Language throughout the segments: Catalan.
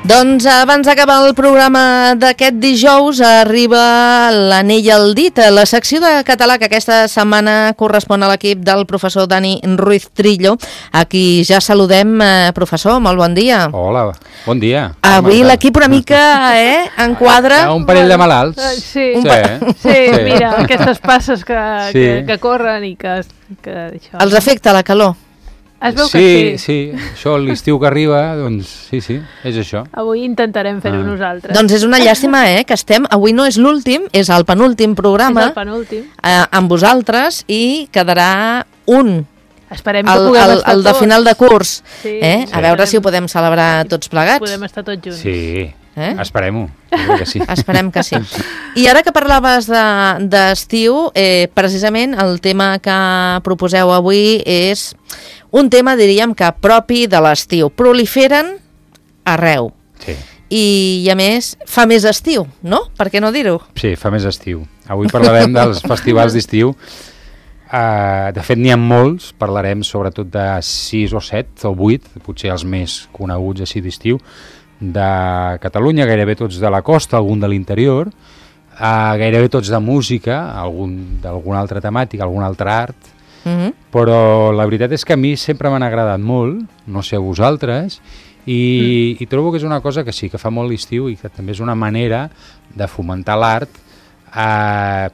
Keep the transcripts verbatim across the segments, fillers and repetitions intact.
Doncs abans d'acabar el programa d'aquest dijous arriba l'anell al dit, la secció de català que aquesta setmana correspon a l'equip del professor Dani Ruiz Trillo, a qui ja saludem. Professor, molt bon dia. Hola, bon dia. Avui l'equip una mica eh, enquadra... Hi ha un parell de malalts. Sí, sí, sí, sí, mira, aquestes passes que, sí. que, que corren i que... que això. Els afecta la calor? Es veu sí, que sí. Sí, això l'estiu que arriba, doncs sí, sí, és això. Avui intentarem fer-ho ah. nosaltres. Doncs és una llàstima, eh, que estem... Avui no és l'últim, és el penúltim programa. És el penúltim. Eh, amb vosaltres i quedarà un. Esperem que el, puguem el, estar el de tots. final de curs. Sí, eh? sí. A veure si ho podem celebrar tots plegats. Podem estar tots junts. Sí, eh? esperem-ho. Que sí. Esperem que sí. I ara que parlaves d'estiu, de, eh, precisament el tema que proposeu avui és un tema, diríem, que propi de l'estiu. Proliferen arreu. Sí. I, I a més, fa més estiu, no? Per què no dir-ho? Sí, fa més estiu. Avui parlarem dels festivals d'estiu. Uh, de fet, n'hi ha molts. Parlarem sobretot de sis o set o vuit, potser els més coneguts així d'estiu, de Catalunya, gairebé tots de la costa, algun de l'interior, uh, gairebé tots de música, algun d'alguna altra temàtica, algun altre art, Mm-hmm. però la veritat és que a mi sempre m'han agradat molt, no sé a vosaltres, i, mm. i trobo que és una cosa que sí, que fa molt l'estiu i que també és una manera de fomentar l'art eh,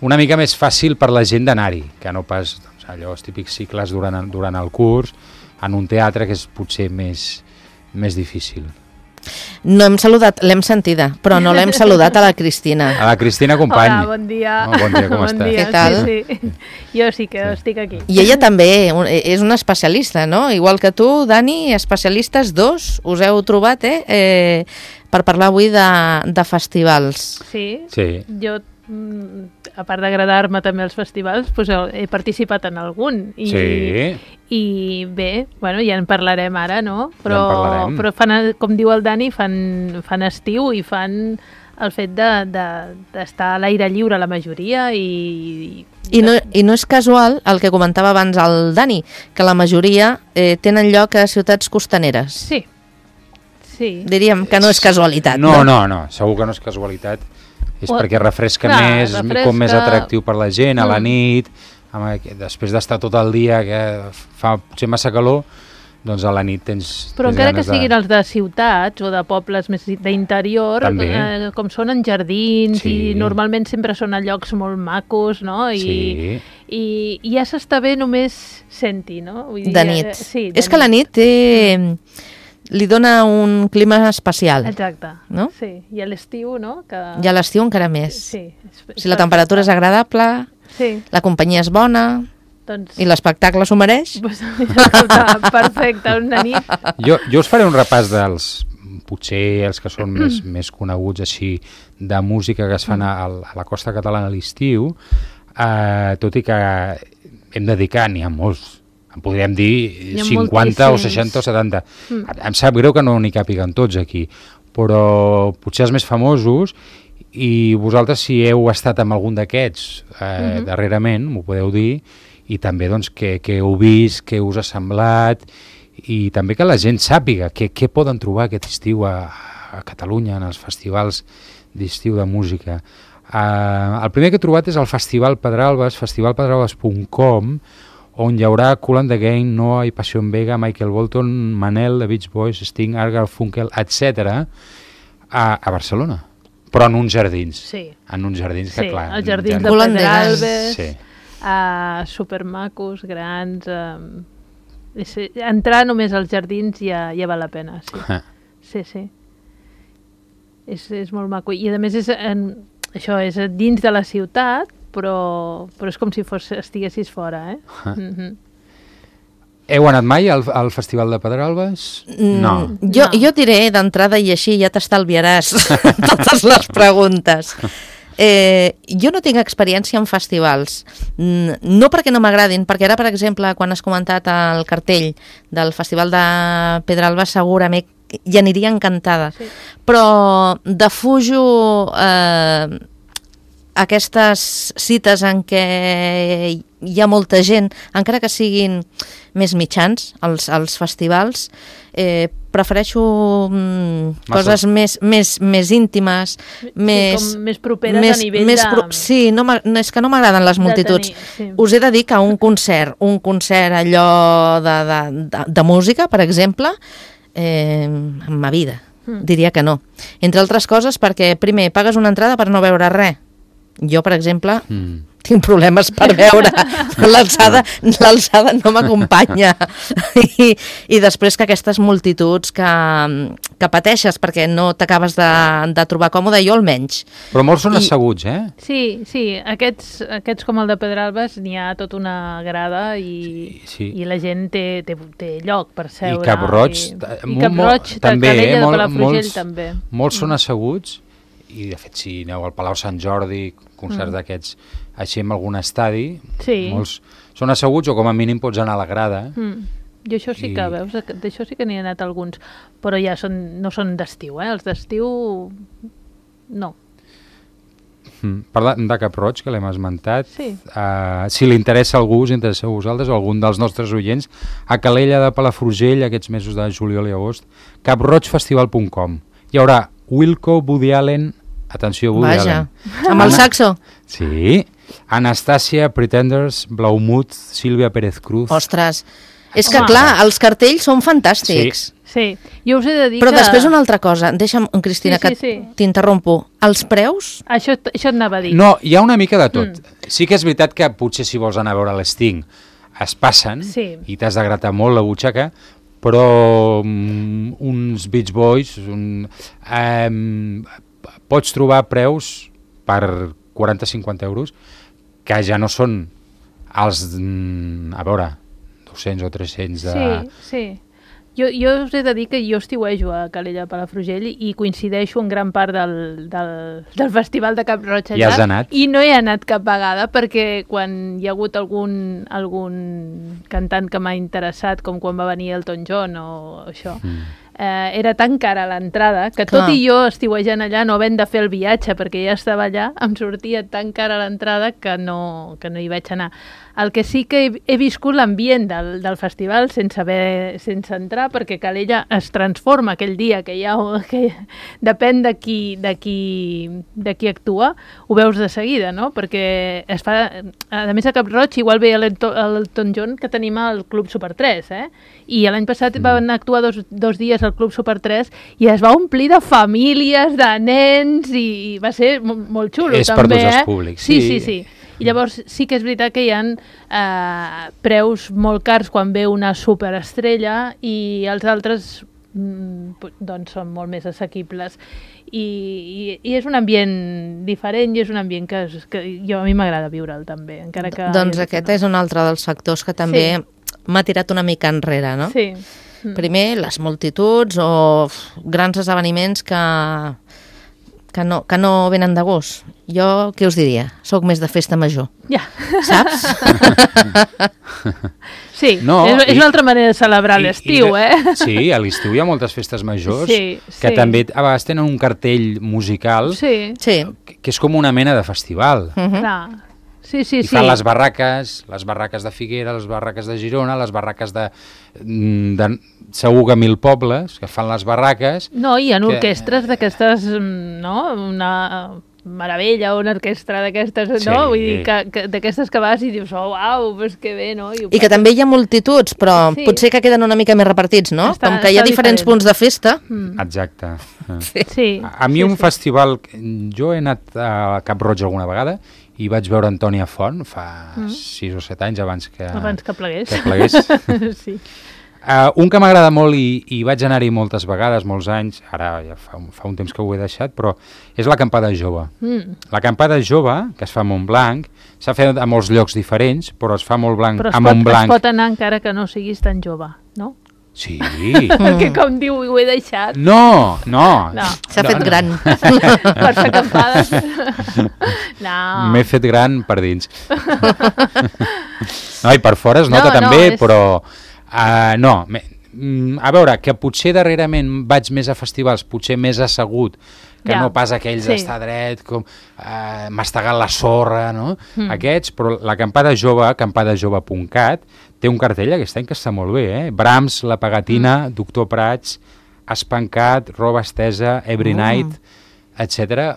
una mica més fàcil per la gent d'anar-hi, que no pas doncs, allò, els típics cicles durant, durant el curs, en un teatre que és potser més, més difícil. No hem saludat, l'hem sentida, però no l'hem saludat a la Cristina. A la Cristina Company. Hola, bon dia. Oh, bon dia, com bon estàs? dia, Què tal? Sí, sí. Jo sí que sí. estic aquí. I ella també és una especialista, no? Igual que tu, Dani, especialistes dos, us heu trobat, eh? eh per parlar avui de, de festivals. Sí, sí. Jo, a part d'agradar-me també els festivals, doncs he participat en algun. I, sí. I bé, bueno, ja en parlarem ara, no? Però, ja en però fan, com diu el Dani, fan, fan estiu i fan el fet d'estar de, de, a l'aire lliure la majoria i... I no, I no és casual el que comentava abans el Dani, que la majoria eh, tenen lloc a ciutats costaneres. Sí. Sí. Diríem que no és casualitat. No, no, no, segur que no és casualitat. És o, perquè refresca clar, més, refresca... com més atractiu per la gent, a la nit, amb, després d'estar tot el dia, que fa potser massa calor, doncs a la nit tens... Però tens encara que de... siguin els de ciutats o de pobles més d'interior, eh, com són en jardins sí. i normalment sempre són a llocs molt macos, no? I, sí. i, i ja s'està bé només senti, no? Vull dir, de nit. Eh, sí, de és nit. que la nit té... li dona un clima especial. Exacte, no? Sí. I a l'estiu, no? Que... I a l'estiu encara més. Sí. És, és si la temperatura és agradable, sí. la companyia és bona doncs... i l'espectacle s'ho mereix. Pues, perfecte, una nit. Jo, jo us faré un repàs dels, potser els que són més, més coneguts així, de música que es fan a, a la costa catalana a l'estiu, eh, tot i que hem de dir que n'hi ha molts. En podríem dir cinquanta o seixanta o setanta. Mm. Em sap greu que no n'hi càpiguen tots aquí, però potser els més famosos, i vosaltres si heu estat amb algun d'aquests eh, mm-hmm. darrerament, m'ho podeu dir, i també doncs què heu vist, què us ha semblat, i també que la gent sàpiga què, què poden trobar aquest estiu a, a Catalunya, en els festivals d'estiu de música. Eh, el primer que he trobat és el Festival Pedralbes, festival pedralbes punt com, on hi haurà Kool and the Gang, Noah i Passion Vega, Michael Bolton, Manel, The Beach Boys, Sting, Argal Funkel, etcètera, a, a Barcelona. Però en uns jardins. Sí. En uns jardins que, sí, clar... els jardins de Pedralbes, sí. uh, supermacos, grans... Uh, és, entrar només als jardins ja, ja val la pena, sí. Ah. Sí, sí. És, és molt maco. I a més és, en, això és dins de la ciutat, però, però és com si fos, estiguessis fora, eh? Ah. Mm-hmm. Heu anat mai al, al Festival de Pedralbes? No. Mm, jo, no. jo diré d'entrada i així ja t'estalviaràs totes les preguntes. Eh, jo no tinc experiència en festivals, no perquè no m'agradin, perquè ara, per exemple, quan has comentat el cartell del Festival de Pedralbes, segurament hi aniria encantada. Sí. Però defujo... Eh, aquestes cites en què hi ha molta gent, encara que siguin més mitjans, els, els festivals, eh, prefereixo mm, coses més, més, més íntimes, sí, més, com més properes més, a nivell més de... Pro... Sí, no, no, és que no m'agraden les multituds. Tenir, sí. Us he de dir que un concert, un concert allò de, de, de, de música, per exemple, eh, en ma vida, mm. diria que no. Entre altres coses perquè, primer, pagues una entrada per no veure res. Jo, per exemple, mm. tinc problemes per veure, l'alçada l'alçada no m'acompanya. I, I després que aquestes multituds que, que pateixes perquè no t'acabes de, de trobar còmode, jo almenys. Però molts són I... asseguts, eh? Sí, sí, aquests, aquests com el de Pedralbes n'hi ha tota una grada i, sí, sí. i la gent té, té, té lloc per seure. I Cap Roig, i, i i Cap Roig també, Calella eh? de Mol, Palafrugell molts, també. Molts són asseguts i de fet si aneu al Palau Sant Jordi, concerts mm. d'aquests així en algun estadi, sí. molts són asseguts o com a mínim pots anar a la grada. Mm. Jo això sí I... que, veus, d'això sí que n'hi ha anat alguns, però ja són, no són d'estiu, eh? Els d'estiu no. Mm. Parlant de Cap Roig, que l'hem esmentat, sí. uh, si li interessa a algú, us interessa a vosaltres o algun dels nostres oients, a Calella de Palafrugell, aquests mesos de juliol i agost, cap roig festival punt com. Hi haurà Wilco, Woody Allen, atenció, Woody Vaja. Allen. Amb el saxo? Sí. Anastàcia, Pretenders, Blaumut, Sílvia Pérez Cruz. Ostres, és que Home. clar, els cartells són fantàstics. Sí. Sí, jo us he de dir Però que... després una altra cosa, deixa'm, Cristina, Sí, sí, que sí. t'interrompo. Els preus? Això, això et anava a dir. No, hi ha una mica de tot. Mm. Sí que és veritat que potser si vols anar a veure l'Sting es passen Sí. i t'has de gratar molt la butxaca, però um, uns Beach Boys un, um, pots trobar preus per quaranta a cinquanta euros que ja no són els, mm, a veure, dos-cents o tres-cents de... Sí, sí. Jo, jo us he de dir que jo estiuejo a Calella de Palafrugell i coincideixo en gran part del, del, del festival de Cap Roig allà. I has anat? I no he anat cap vegada perquè quan hi ha hagut algun, algun cantant que m'ha interessat, com quan va venir Elton John o això, mm. eh, era tan cara l'entrada que Clar. tot i jo estiuejant allà, no havent de fer el viatge perquè ja estava allà, em sortia tan cara l'entrada que no, que no hi vaig anar. El que sí que he, he viscut l'ambient del, del festival sense haver, sense entrar, perquè Calella es transforma aquell dia que hi ha, que depèn de qui, de qui, de qui actua, ho veus de seguida, no? Perquè es fa, a més a Cap Roig igual ve l'Elton John que tenim al Club Super tres, eh? I l'any passat mm. van actuar dos, dos dies al Club Super tres i es va omplir de famílies, de nens, i, i va ser molt, molt xulo. És també, per tots eh? els públics. Sí, sí, sí. I llavors sí que és veritat que hi ha eh, preus molt cars quan ve una superestrella i els altres mm, doncs són molt més assequibles. I, i, i és un ambient diferent i és un ambient que, es, que jo, a mi m'agrada viure'l també. Encara que Doncs aquest no. és un altre dels factors que també sí. m'ha tirat una mica enrere, no? Sí. Primer, les multituds o grans esdeveniments que... Que no, que no venen de gust. Jo, què us diria? Soc més de festa major. Ja. Saps? Sí, no, és, és i, una altra manera de celebrar l'estiu, eh? Sí, a l'estiu hi ha moltes festes majors sí, que sí. també a vegades tenen un cartell musical sí. Sí. que, que és com una mena de festival. Uh-huh. Clar. Sí, sí, I sí. fan les barraques, les barraques de Figuera, les barraques de Girona, les barraques de, de segur que mil pobles, que fan les barraques. No, hi ha que... orquestres d'aquestes, no? Una meravella, una orquestra d'aquestes, sí. no? Vull dir, que, que, d'aquestes que vas i dius, oh, uau, pues que bé, no? I, I que també hi ha multituds, però sí. potser que queden una mica més repartits, no? Està, Com que hi ha diferents diferent. punts de festa. Mm. Exacte. Sí. Sí, a, a mi sí, un sí. festival, jo he anat a Cap Roig alguna vegada i vaig veure Antònia Font fa mm. sis o set anys abans que, abans que plegués. Que plegués. Sí. Uh, un que m'agrada molt i, i vaig anar-hi moltes vegades, molts anys, ara ja fa, fa un temps que ho he deixat, però és l'acampada jove. Mm. L'acampada jove, que es fa a Montblanc, s'ha fet a molts llocs diferents, però es fa a Montblanc, però a Montblanc. Però es pot anar encara que no siguis tan jove, no? Sí. Perquè com diu, ho he deixat. No, no. no. S'ha no, fet no. gran. Per fer acampades. No. M'he fet gran per dins. No, i per fora es nota no, també, no, és... però... Uh, no, me, a veure, que potser darrerament vaig més a festivals, potser més assegut que ja. no pas aquells sí. d'estar dret, com eh, mastegant la sorra, no? Mm. Aquests, però l'acampada jove, acampada jove punt cat, té un cartell aquest any que està molt bé, eh? Brahms, La Pegatina, mm. Doctor Prats, Espancat, Roba Estesa, Every mm. Night, etcètera,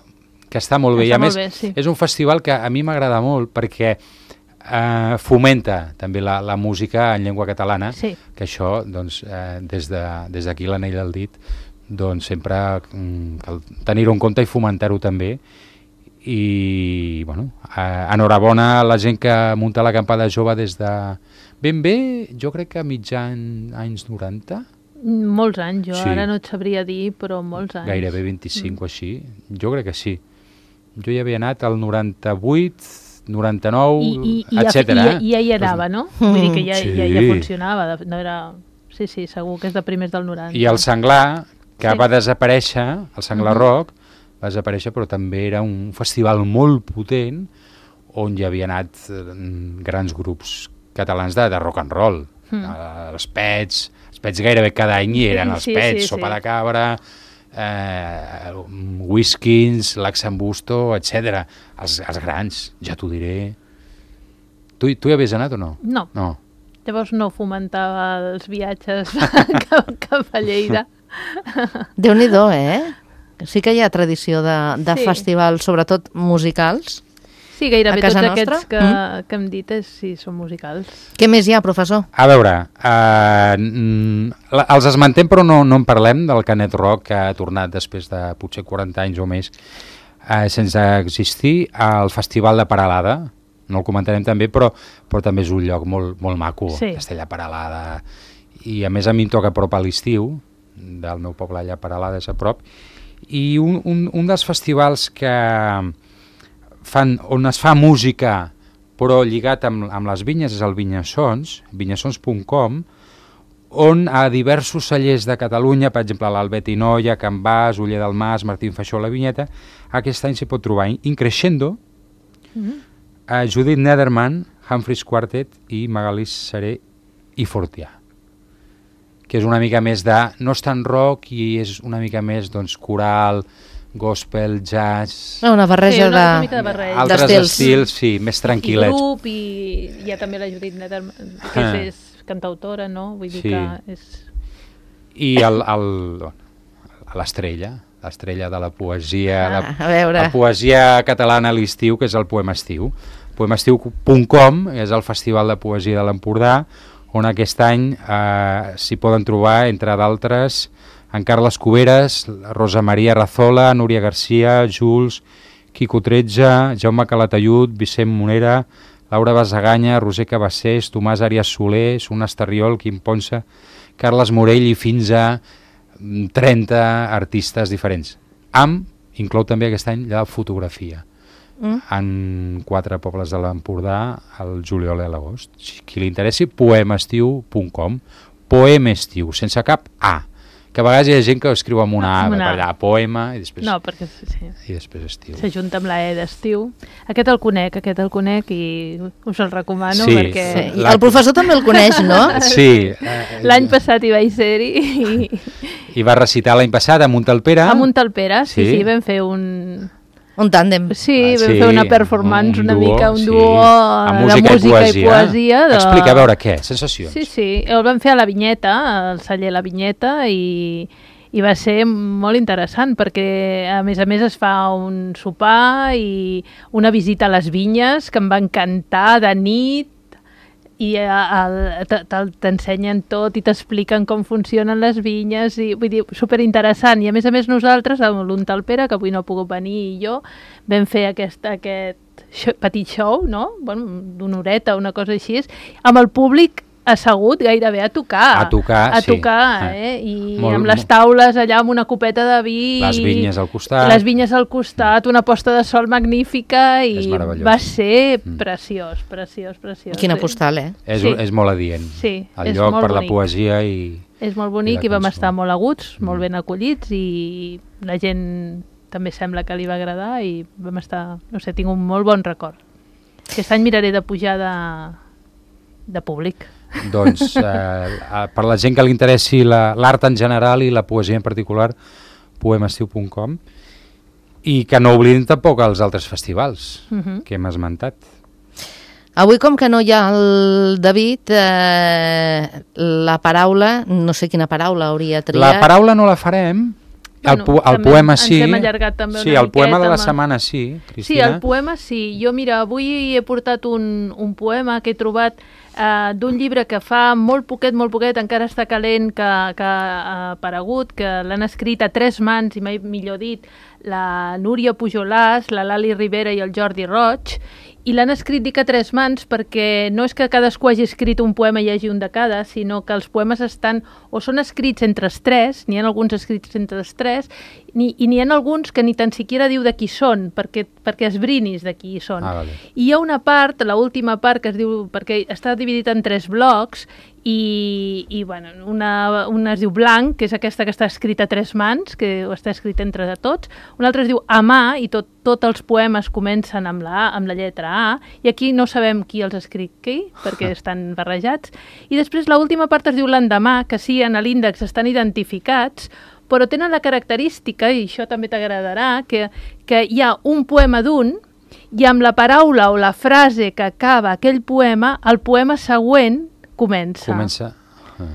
que està molt bé. Està I a més, bé, sí. és un festival que a mi m'agrada molt perquè eh, fomenta també la, la música en llengua catalana, sí. que això, doncs, eh, des de, des d'aquí l'anell del dit, doncs sempre mm, cal tenir-ho en compte i fomentar-ho també. I, bueno, eh, enhorabona a la gent que munta l'acampada jove des de ben bé, jo crec que mitjan anys noranta. Molts anys, jo sí. ara no et sabria dir, però molts anys. Gairebé vint-i-cinc mm. o així. Jo crec que sí. Jo hi havia anat al noranta-vuit, noranta-nou, etcètera. I, i, i ja hi anava, no? Mm. Vull dir que ja, sí. ja, ja funcionava. No era... Sí, sí, segur que és de primers del noranta. I el Senglar, que sí. va desaparèixer, el Senglar mm-hmm. Rock, va desaparèixer, però també era un festival molt potent on hi havia anat grans grups catalans de, de rock and roll. Mm. Els Pets, els Pets gairebé cada any hi eren els sí, Pets, sí, Sopa sí. de Cabra, eh, Whiskins, Laxambusto, etcètera. Els, els grans, ja t'ho diré. Tu, tu hi havies anat o no? No. no. Llavors no fomentava els viatges cap, cap a Lleida. Déu-n'hi-do, eh? Sí que hi ha tradició de, de sí. festivals, sobretot musicals. Sí, gairebé tots nostra? aquests que, mm. que hem dit és, sí, són musicals. Què més hi ha, professor? A veure, uh, els esmentem però no, no en parlem del Canet Rock, que ha tornat després de potser quaranta anys o més uh, sense existir, al Festival de Peralada. No el comentarem també, però, però també és un lloc molt, molt maco, sí. Castella Peralada. I a més a mi em toca a prop a l'estiu, del meu poble allà a Peralada és a prop, i un, un, un dels festivals que fan, on es fa música però lligat amb, amb les vinyes és el Vinyassons, vinyassons punt com, on a diversos cellers de Catalunya, per exemple l'Albet i Noia, Can Bas, Oller del Mas, Martín Faixó, La Vinyeta, aquest any s'hi pot trobar Increscendo, mm-hmm. a Judith Nederman, Humphreys Quartet i Magalí Seré i Fortià, que és una mica més de, no és tan rock i és una mica més doncs, coral, gospel, jazz... Una barreja sí, una, de, una mica de barreja. Altres d'estils. estils, sí, més tranquil·lets. I grup, i hi ha també la Judith Nederman, que és, és cantautora, no? Vull dir sí. que és... I el, el, l'estrella, l'estrella de la poesia, ah, la, a veure. la poesia catalana a l'estiu, que és el Poema Estiu. Poemaestiu punt com és el festival de poesia de l'Empordà, on aquest any eh, s'hi poden trobar, entre d'altres, en Carles Cuberes, Rosa Maria Razola, Núria Garcia, Jules, Quico tretze, Jaume Calatayud, Vicent Monera, Laura Basaganya, Roser Cabassés, Tomàs Arias Soler, Suna Estarriol, Quim Ponsa, Carles Morell i fins a trenta artistes diferents. Amb, inclou també aquest any, la fotografia. Mm. En quatre pobles de l'Empordà al juliol i a l'agost. Qui li interessi, poemaestiu punt com, poemestiu, sense cap A, que a vegades hi ha gent que escriu amb una A, una... per allà, poema, i després, no, perquè, sí. i després estiu. S'ajunta amb la E d'estiu. Aquest el conec, aquest el conec i us el recomano sí, perquè... Sí. La... El professor també el coneix, no? Sí. L'any passat hi vaig ser-hi i... I va recitar l'any passat a Montalpera. A Montalpera, sí, sí, sí, vam fer un... Un tàndem. Sí, ah, vam sí, fer una performance un una duo, mica, un sí. duo a de música, música i poesia. I poesia de... Explica, a veure què, sensacions. Sí, sí, el vam fer a la Vinyeta, al celler La Vinyeta, i, i va ser molt interessant, perquè a més a més es fa un sopar i una visita a les vinyes, que em va encantar, de nit, i t'ensenyen tot i t'expliquen com funcionen les vinyes, i vull dir, superinteressant. I a més a més nosaltres, amb l'Untalpera, que avui no ha pogut venir, i jo, vam fer aquest, aquest show, petit show, no? Bueno, d'una horeta, una cosa així, amb el públic assegut gairebé a tocar. A tocar, a sí. tocar, eh? I molt, amb les taules allà amb una copeta de vi. Les vinyes al costat. Les vinyes al costat, una posta de sol magnífica i va ser mm. preciós, preciós, preciós. Quina sí. postal, eh? És, sí. és molt adient. Sí, el és lloc molt per bonic. La poesia i... És molt bonic i, i vam estar molt aguts, molt mm. ben acollits i la gent també sembla que li va agradar i vam estar, no sé, tinc un molt bon record. Aquest any miraré de pujar de, de públic. Doncs eh, per la gent que li interessi l'art en general i la poesia en particular, poemaestiu punt com. I que no oblidin tampoc els altres festivals Uh-huh. que hem esmentat. Avui, com que no hi ha el David, eh, la paraula, no sé quina paraula hauria triat. La paraula no la farem, el, Bueno, po el també poema ens sí. hem allargat també Sí, una el poema de la miqueta, setmana sí, Sí, Cristina. el poema sí. Jo, mira, avui he portat un, un poema que he trobat eh, d'un llibre que fa molt poquet, molt poquet, encara està calent, que, que ha aparegut, que l'han escrit a tres mans, i mai millor dit, la Núria Pujolàs, la Lali Rivera i el Jordi Roig, i l'han escrit, dic, a tres mans perquè no és que cadascú hagi escrit un poema i hi hagi un de cada, sinó que els poemes estan, o són escrits entre els tres, n'hi ha alguns escrits entre els tres, ni, i n'hi ha alguns que ni tan siquiera diu de qui són, perquè, perquè esbrinis de qui són. Ah, vale. I hi ha una part, l'última part, que es diu, perquè està dividit en tres blocs, i, i bueno, una, una es diu Blanc, que és aquesta que està escrita a tres mans, que està escrita entre tots, una altra es diu Amar, i tot, tots els poemes comencen amb la, A, amb la lletra A, i aquí no sabem qui els ha escrit qui, perquè estan barrejats, i després l'última part es diu L'endemà, que sí, en l'índex estan identificats, però tenen la característica, i això també t'agradarà, que, que hi ha un poema d'un, i amb la paraula o la frase que acaba aquell poema, el poema següent comença. Comença uh,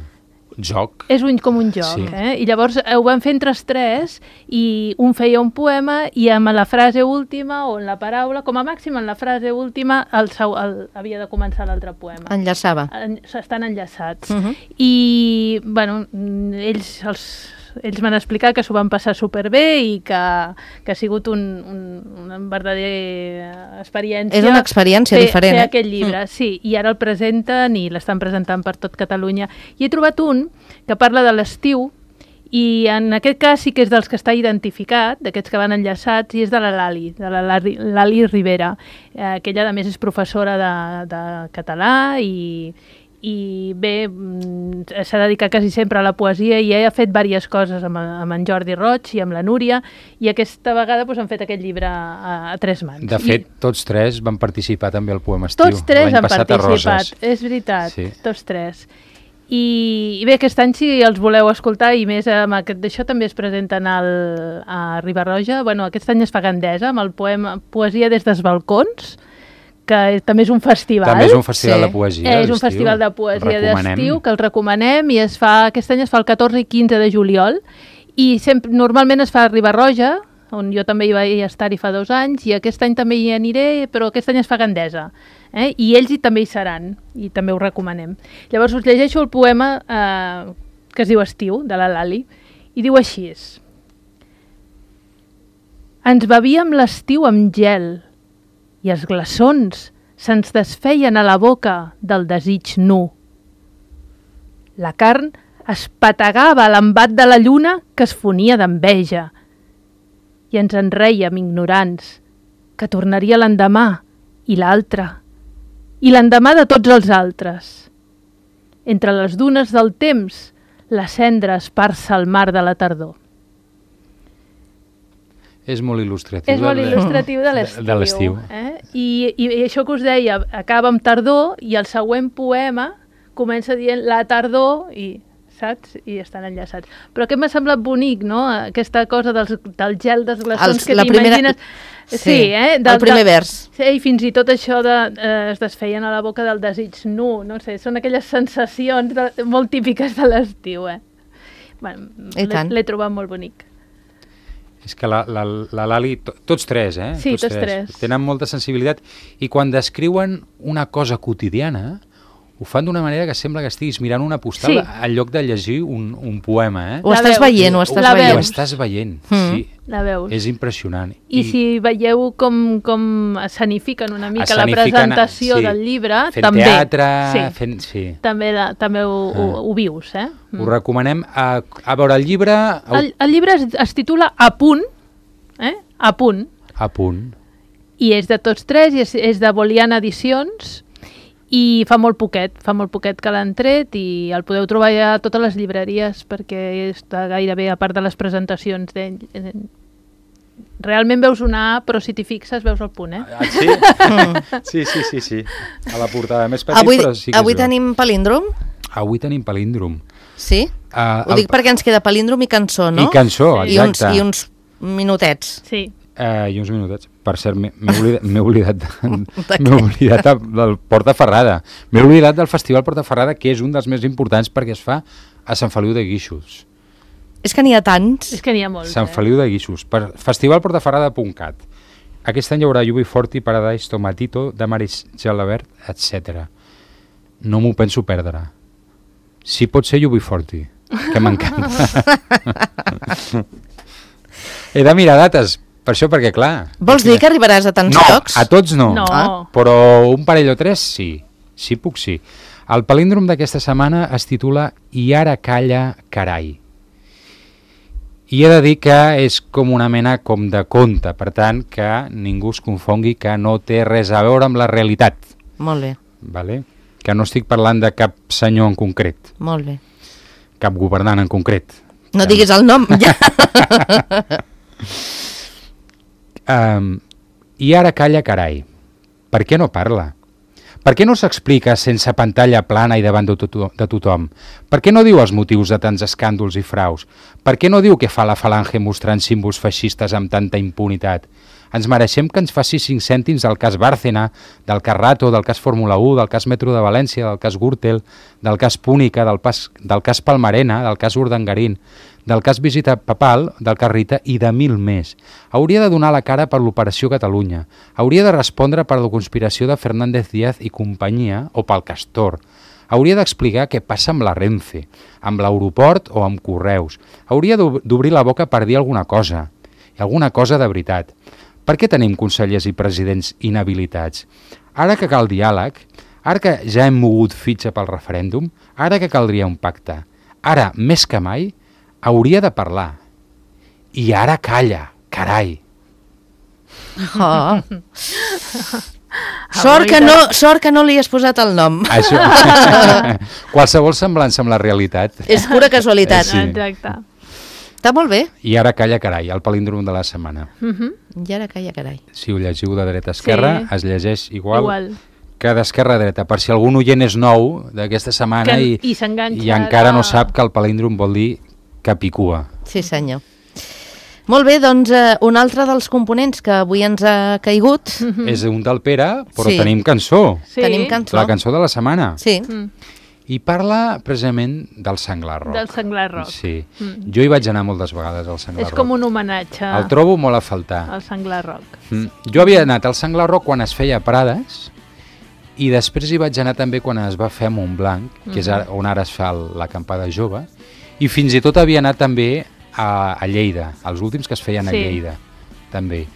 joc. És un, com un joc, Sí. eh? I llavors ho van fer entre els tres, i un feia un poema, i amb la frase última, o en la paraula, com a màxim en la frase última, el, seu- el, havia de començar l'altre poema. Enllaçava. En, estan enllaçats. Uh-huh. I, bueno, mm, ells, els, ells m'han explicat que s'ho van passar superbé i que, que ha sigut un, un, una verdadera experiència. És una experiència fer, diferent, Fer eh? aquest llibre, mm. sí. I ara el presenten i l'estan presentant per tot Catalunya. I he trobat un que parla de l'estiu, i en aquest cas sí que és dels que està identificat, d'aquests que van enllaçats, i és de la Lali, de la Lali, Lali Rivera, eh, que ella a més és professora de, de català i, i bé, mm, s'ha dedicat quasi sempre a la poesia, i ella ha fet diverses coses amb, amb en Jordi Roig i amb la Núria, i aquesta vegada doncs, han fet aquest llibre a, a tres mans. De fet, I tots tres van participar també al poema estiu. tots tres l'any han passat a participat, Roses. és veritat, Sí. tots tres. I, I bé, aquest any si els voleu escoltar, i més amb aquest d'això també es presenten al, a Riba-roja, bueno, aquest any es fa Gandesa amb el poema Poesia des dels balcons, que també és un festival. També és un festival Sí. de poesia. Eh, és un d'estiu. festival de poesia Recomanem. d'estiu que el recomanem, i es fa, aquest any es fa el catorze i quinze de juliol, i sempre, normalment es fa a Riba-roja, on jo també hi vaig estar-hi fa dos anys, i aquest any també hi aniré, però aquest any es fa Gandesa. Eh? I ells hi també hi seran, i també ho recomanem. Llavors us llegeixo el poema eh, que es diu Estiu, de la Lali, i diu així: ens bevíem l'estiu amb gel, i els glaçons se'ns desfeien a la boca del desig nu. La carn es pategava a l'embat de la lluna que es fonia d'enveja, i ens en rèiem ignorants, que tornaria l'endemà, i l'altre, i l'endemà de tots els altres. Entre les dunes del temps, la cendra esparça al mar de la tardor. És molt il·lustratiu. És molt de- il·lustratiu de l'estiu. De l'estiu. Eh? I, I això que us deia, acaba amb tardor, i el següent poema comença dient la tardor, i saps? I estan enllaçats. Però aquest m'ha semblat bonic, no? Aquesta cosa dels, del gel dels glaçons Els- que la primera- t'imagines. Sí, Sí, eh? el primer vers. Sí, i fins i tot això de, eh, es desfeien a la boca del desig nu, no sé, són aquelles sensacions de, molt típiques de l'estiu, eh? Bueno, I tant. l'he l'he trobat molt bonic. És que la, la, la Lali, to, tots tres, eh? Sí, tots tres. Tenen molta sensibilitat, i quan descriuen una cosa quotidiana, ho fan d'una manera que sembla que estiguis mirant una postal Sí. en lloc de llegir un, un poema, eh? Ho La estàs veus. veient, ho estàs La Ho veient. veus. estàs veient, Mm. sí. La veus? És impressionant. I, I si veieu com, com escenifiquen una mica la Escenifiquen, presentació sí, del llibre, fent també. teatre, sí, fent... Sí. també, la, també ho, ho, Ah. ho vius, eh? Ho recomanem. A, a veure, el llibre... El, el llibre es, es titula A punt, eh? A punt, A punt. i és de tots tres, i és, és de Boliana Edicions, i fa molt poquet, fa molt poquet que l'han tret, i el podeu trobar ja a totes les llibreries, perquè està gairebé a part de les presentacions d'ell. eh, Realment veus una A, però si t'hi fixes veus el punt, eh? Ah, sí? sí, sí, sí, sí. A la portada més petit, Avui, però sí que avui es veu. tenim palíndrom? Avui tenim palíndrom. Sí? Uh, Ho dic perquè ens queda palíndrom i cançó, no? I cançó, Sí. I uns, exacte. I uns minutets. Sí. Uh, I uns minutets. Per cert, m'he oblidat, m'he oblidat, de, m'he oblidat del Portaferrada. M'he oblidat del Festival Portaferrada, que és un dels més importants perquè es fa a Sant Feliu de Guíxols. És que n'hi ha tants. És que n'hi ha molts. Sant Feliu de Guíxols. Per festival portaferrada punt cat. Aquest any hi haurà U B quaranta, Paradise, Tomatito, Damaris Gelabert, etcètera. No m'ho penso perdre. Si pot ser U B quaranta, que m'encanta. He de mirar dates, per això, perquè clar... Vols dir que arribaràs a tants no, llocs? No, a tots no. No. Ah, però un parell o tres sí. Sí puc sí. El palíndrom d'aquesta setmana es titula I ara calla, carai. I he de dir que és com una mena com de conte, per tant, que ningú es confongui que no té res a veure amb la realitat. Molt bé. Vale? Que no estic parlant de cap senyor en concret. Molt bé. Cap governant en concret. No que... diguis el nom, ja. um, I ara calla, carai. Per què no parla? Per què no s'explica sense pantalla plana i davant de, to de tothom? Per què no diu els motius de tants escàndols i fraus? Per què no diu què fa la falange mostrant símbols feixistes amb tanta impunitat? Ens mereixem que ens faci cinc cèntims del cas Bárcena, del cas Rato, del cas Fórmula u, del cas Metro de València, del cas Gürtel, del cas Púnica, del, pas, del cas Palmarena, del cas Urdangarín, del cas Visita Papal, del cas Rita i de mil més. Hauria de donar la cara per l'Operació Catalunya. Hauria de respondre per la conspiració de Fernández Díaz i companyia o pel Castor. Hauria d'explicar què passa amb la Renfe, amb l'aeroport o amb Correus. Hauria d'obrir la boca per dir alguna cosa, i alguna cosa de veritat. Per què tenim consellers i presidents inhabilitats? Ara que cal diàleg, ara que ja hem mogut fitxa pel referèndum, ara que caldria un pacte, ara, més que mai, hauria de parlar. I ara calla, carai. Oh. Sort, que no, sort que no li has posat el nom. Això. Qualsevol semblança amb la realitat. És pura casualitat. Sí. Exacte. Està molt bé. I ara calla, carai, el palíndrom de la setmana. Uh -huh. I ara calla, carai. Si ho llegiu de dreta a esquerra, sí. Es llegeix igual, igual que d'esquerra a dreta. Per si algun oient és nou d'aquesta setmana que, i, i, i encara no sap que el palíndrom vol dir capicua. Sí, senyor. Molt bé, doncs eh, un altre dels components que avui ens ha caigut... Uh -huh. És un del Pere, però sí. tenim cançó. Sí. Tenim cançó. La cançó de la setmana. Sí. Mm. I parla precisament del Senglar Rock. Del Senglar Rock. Sí. Mm. Jo hi vaig anar moltes vegades al Senglar Rock. És com un homenatge El trobo molt a faltar. al Senglar Rock. Mm. Jo havia anat al Senglar Rock quan es feia a Prades i després hi vaig anar també quan es va fer a Montblanc, que mm. és ara, on ara es fa l'acampada jove, i fins i tot havia anat també a, a Lleida, els últims que es feien sí. a Lleida, també.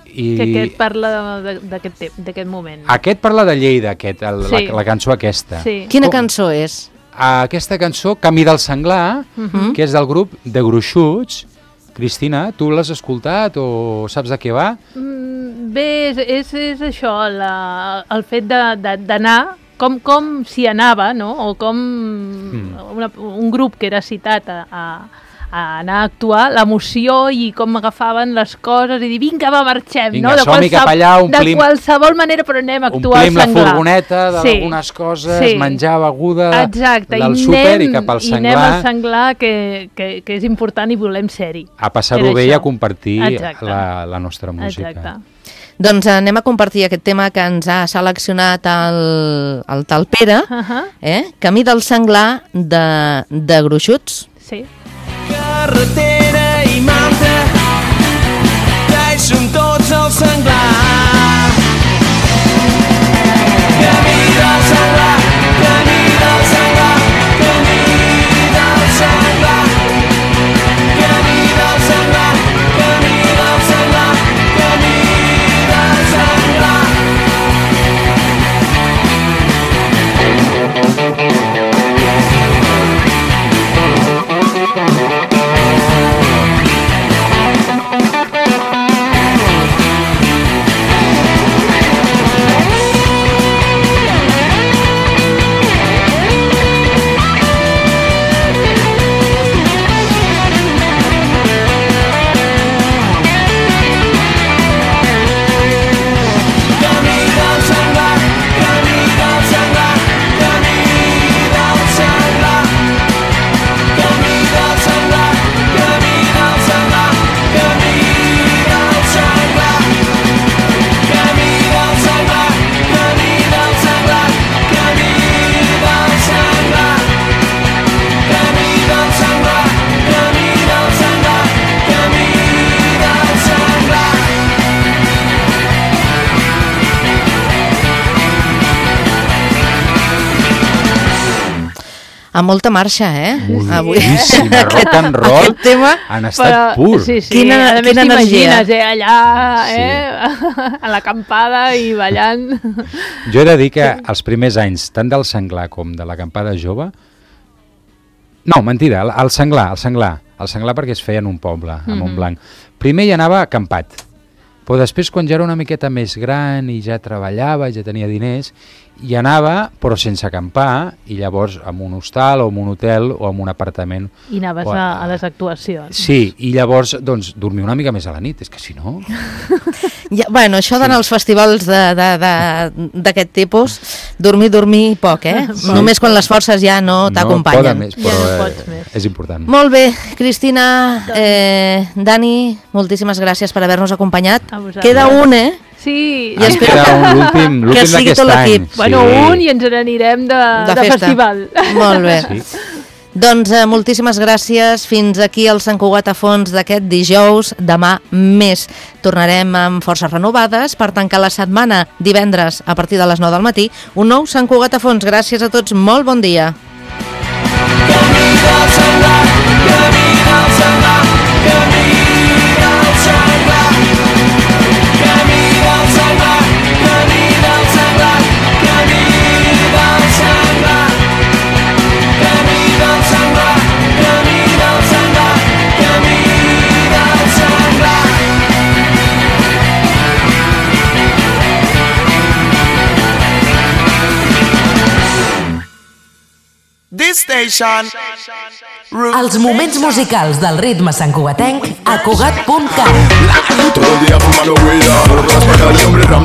I que aquest parla d'aquest moment. Aquest parla de Lleida, aquest, el, sí. la, la cançó aquesta. Sí. Quina cançó és? Aquesta cançó, Camí del Senglar, uh -huh. que és del grup de Gruixuts. Cristina, tu l'has escoltat o saps de què va? Mm, bé, és, és, és això, la, el fet d'anar, com, com s'hi anava, no? O com mm. una, un grup que era citat a... a a anar a actuar, l'emoció i com agafaven les coses i dir, vinga, va, marxem, vinga, no? De, som-hi cap allà, omplim, de qualsevol manera, però anem a actuar al Senglar. Omplim la furgoneta d'algunes sí. coses, sí. menjar, beguda, exacte. del I súper anem, i cap al Senglar. I anem al Senglar, que, que, que és important i volem ser-hi. A passar-ho bé i a compartir la, la nostra música. Exacte. Doncs anem a compartir aquest tema que ens ha seleccionat el, el tal Pere, uh -huh. eh? Camí del Senglar de, de Gruixuts. Sí. Carretera i manta, que hi som tots al Senglar. Camí del Senglar, camí del Senglar, camí del Senglar. Camí del Senglar, camí del Senglar, camí del Senglar. Amb molta marxa, eh? Moltíssim, el rock and roll Aquest tema... en estat Però, pur. sí, sí, Quina- a més quina energia. t'imagines, eh, allà, eh, a l'acampada i ballant. Jo he de dir que els primers anys, tant del Senglar com de l'acampada jove... No, mentida, el, el Senglar, el Senglar. El Senglar perquè es feia en un poble, a Mhm. Montblanc. Primer hi anava acampat, però després quan ja era una miqueta més gran i ja treballava, ja tenia diners, hi anava però sense acampar i llavors en un hostal o en un hotel o en un apartament. I anaves O a, a les actuacions. Sí, i llavors doncs dormir una mica més a la nit, és que si no... Ja, bueno, això d'anar als festivals de- de- de- d'aquest tipus, dormir, dormir poc, eh? Sí. Només quan les forces ja no No poden t'acompanyen. més, Ja però no eh, pots més. és important. Molt bé, Cristina, eh, Dani, moltíssimes gràcies per haver-nos acompanyat. A vosaltres. Queda un, eh? Sí, I Ens espero queda que- un, l'últim que l'últim sigui d'aquest tot any. l'equip. bueno, sí. un i ens n'anirem de, De de, festa. festival. Molt bé. Sí. Doncs eh, moltíssimes gràcies. Fins aquí el Sant Cugat a fons d'aquest dijous. Demà més. Tornarem amb forces renovades per tancar la setmana divendres a partir de les nou del matí. Un nou Sant Cugat a fons. Gràcies a tots. Molt bon dia. Camí del Senglar, camí del Senglar, camí del Senglar. Camí del Senglar, camí del Senglar, camí del Senglar. Camí del Senglar, camí del Senglar, camí del Senglar. This station. Els moments musicals del ritme santcugatenc a cugat punt cat. Todo el día fumando weed, raspa el hombre ram